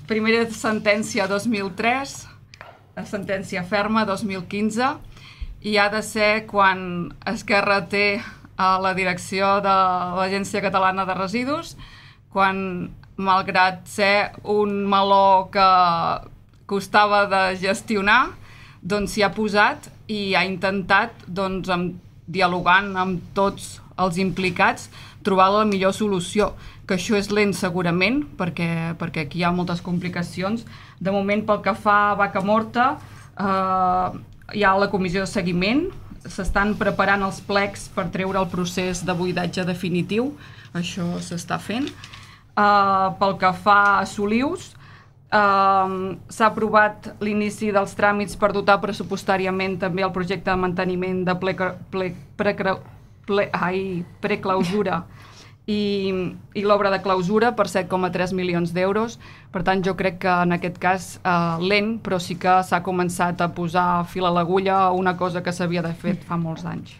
Primera sentència 2003, sentència ferma 2015, i ha de ser quan Esquerra té la direcció de l'Agència Catalana de Residus, quan, malgrat ser un meló que costava de gestionar, doncs s'hi ha posat i ha intentat, doncs, dialogant amb tots els implicats, trobar la millor solució, que això és lent segurament, perquè aquí hi ha moltes complicacions. De moment, pel que fa a Vaca Morta, hi ha la comissió de seguiment, s'estan preparant els plecs per treure el procés de buidatge definitiu, això s'està fent. Pel que fa a Solius, s'ha aprovat l'inici dels tràmits per dotar pressupostàriament també el projecte de manteniment de preclausura i l'obra de clausura per 7,3 milions d'euros. Per tant, jo crec que en aquest cas lent, però sí que s'ha començat a posar fil a l'agulla a una cosa que s'havia de fer fa molts anys.